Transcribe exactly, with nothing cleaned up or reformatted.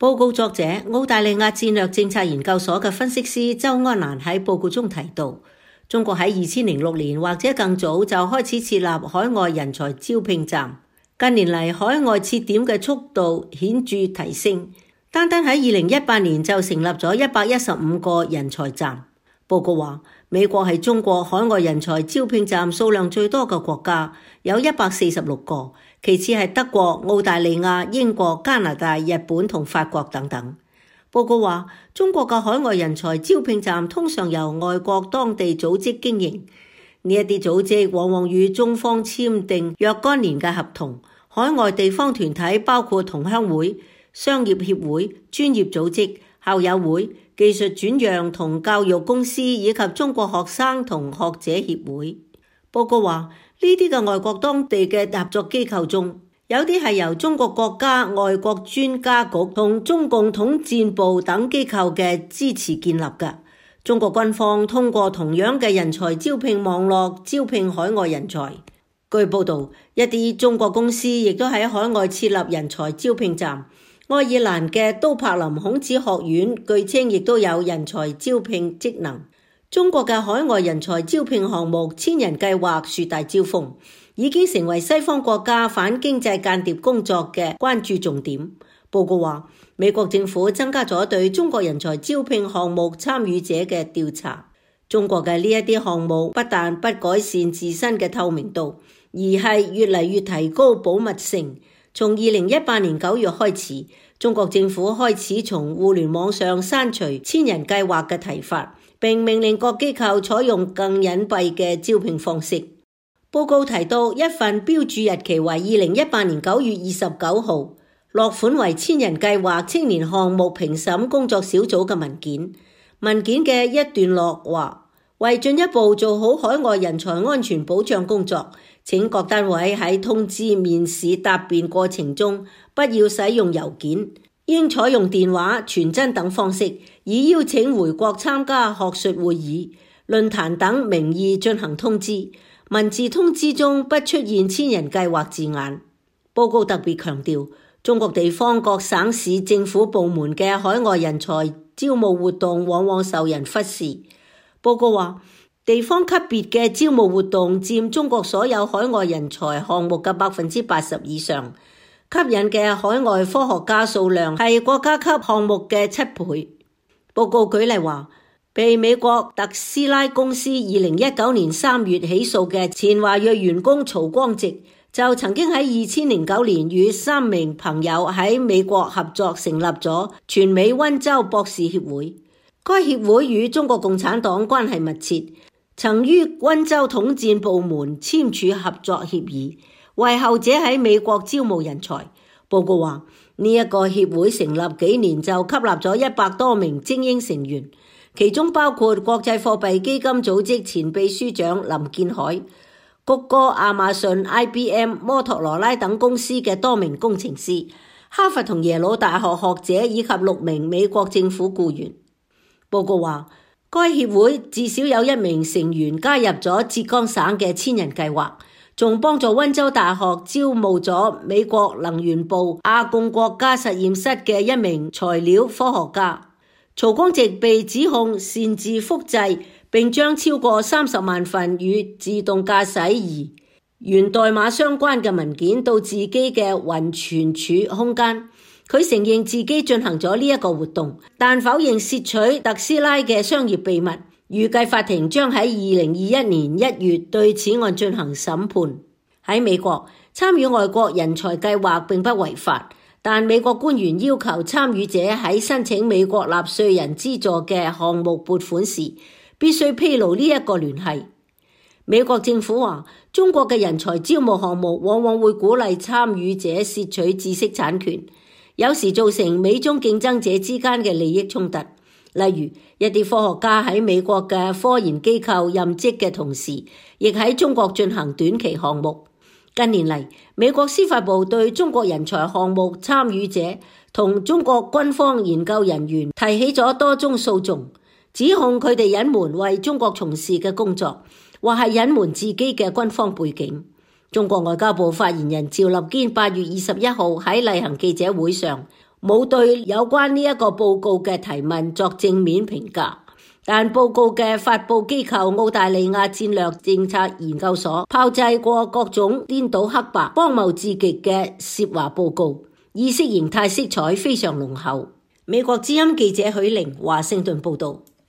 報告作者澳大利亞戰略政策研究所嘅分析師周安蘭喺報告中提到，中國喺二千零六年或者更早就開始設立海外人才招聘站，近年嚟海外設點嘅速度顯著提升，單單喺二零一八年就成立咗一百一十五個人才站。報告話，美國係中國海外人才招聘站數量最多嘅國家，有一百四十六個，其次係德國、澳大利亞、英國、加拿大、日本同法國等等。報告話，中國嘅海外人才招聘站通常由外國當地組織經營，呢一啲組織往往與中方簽訂若干年嘅合同。海外地方團體包括同鄉會、商業協會、專業組織、校友會、技術轉讓同教育公司以及中國學生同學者協會。報告話，呢啲嘅外國當地嘅合作機構中，有啲係由中國國家外國專家局同中共統戰部等機構嘅支持建立嘅。中國軍方通過同樣嘅人才招聘網絡招聘海外人才。據報道，一啲中國公司亦都喺海外設立人才招聘站。愛爾蘭嘅都柏林孔子學院據稱亦都有人才招聘職能。中國嘅海外人才招聘項目千人計劃樹大招風，已經成為西方國家反經濟間諜工作嘅關注重點。報告話，美國政府增加咗對中國人才招聘項目參與者嘅調查。中國嘅呢一啲項目不但不改善自身嘅透明度，而係越嚟越提高保密性。從二零一八年九月開始，中國政府開始從互聯網上刪除千人計劃嘅提法，並命令各機構採用更隱蔽嘅招聘方式。報告提到一份標注日期為二零一八年九月二十九號，落款為千人計劃青年項目評審工作小組嘅文件。文件嘅一段落話，為進一步做好海外人才安全保障工作，請各單位喺通知、面試、答辯過程中不要使用郵件，應採用電話、傳真等方式，以邀請回國參加學術會議、論壇等名義進行通知。文字通知中不出現千人計劃字眼。報告特別強調，中國地方各省市政府部門嘅海外人才招募活動往往受人忽視。報告話，地方級別嘅招募活動佔中國所有海外人才項目嘅百分之八十以上，吸引嘅海外科學家數量係國家級項目嘅七倍。報告舉例話，被美國特斯拉公司二零一九年三月起訴嘅前華裔員工曹光植，就曾經喺二千零九年與三名朋友喺美國合作成立咗全美溫州博士協會。該協會與中國共產黨關係密切，曾於溫州統戰部門簽署合作協議，為後者喺美國招募人才。報告話，呢一個協會成立幾年就吸納咗一百多名精英成員，其中包括國際貨幣基金組織前秘書長林建海、谷歌、亞馬遜、I B M、摩托羅拉等公司嘅多名工程師，哈佛同耶魯大學學者以及六名美國政府僱員。報告話，該協會至少有一名成員加入咗浙江省嘅千人計劃，仲幫助溫州大學招募咗美國能源部亞貢國家實驗室嘅一名材料科學家。曹光植被指控擅自複製並將超過三十萬份與自動駕駛儀源代碼相關嘅文件到自己嘅雲存儲空間。佢承認自己進行咗呢一個活動，但否認竊取特斯拉嘅商業秘密。預計法庭將喺二零二一年一月對此案進行審判。喺美國，參與外國人才計劃並不違法，但美國官員要求參與者喺申請美國納稅人資助嘅項目撥款時，必須披露呢一個聯繫。美國政府話，中國嘅人才招募項目往往會鼓勵參與者竊取知識產權，有時造成美中競爭者之間嘅利益衝突。例如，一啲科學家喺美國嘅科研機構任職嘅同時，亦喺中國進行短期項目。近年嚟，美國司法部對中國人才項目參與者同中國軍方研究人員提起咗多宗訴訟，指控佢哋隱瞞為中國從事嘅工作，或係隱瞞自己嘅軍方背景。中國外交部發言人趙立堅八月二十一號喺例行記者會上冇對有關呢一個報告嘅提問作正面評價。但報告嘅發佈機構澳大利亞戰略政策研究所炮製過各種顛倒黑白、荒謬至極嘅涉華報告，意識形態色彩非常濃厚。美國之音記者許玲華盛頓報道。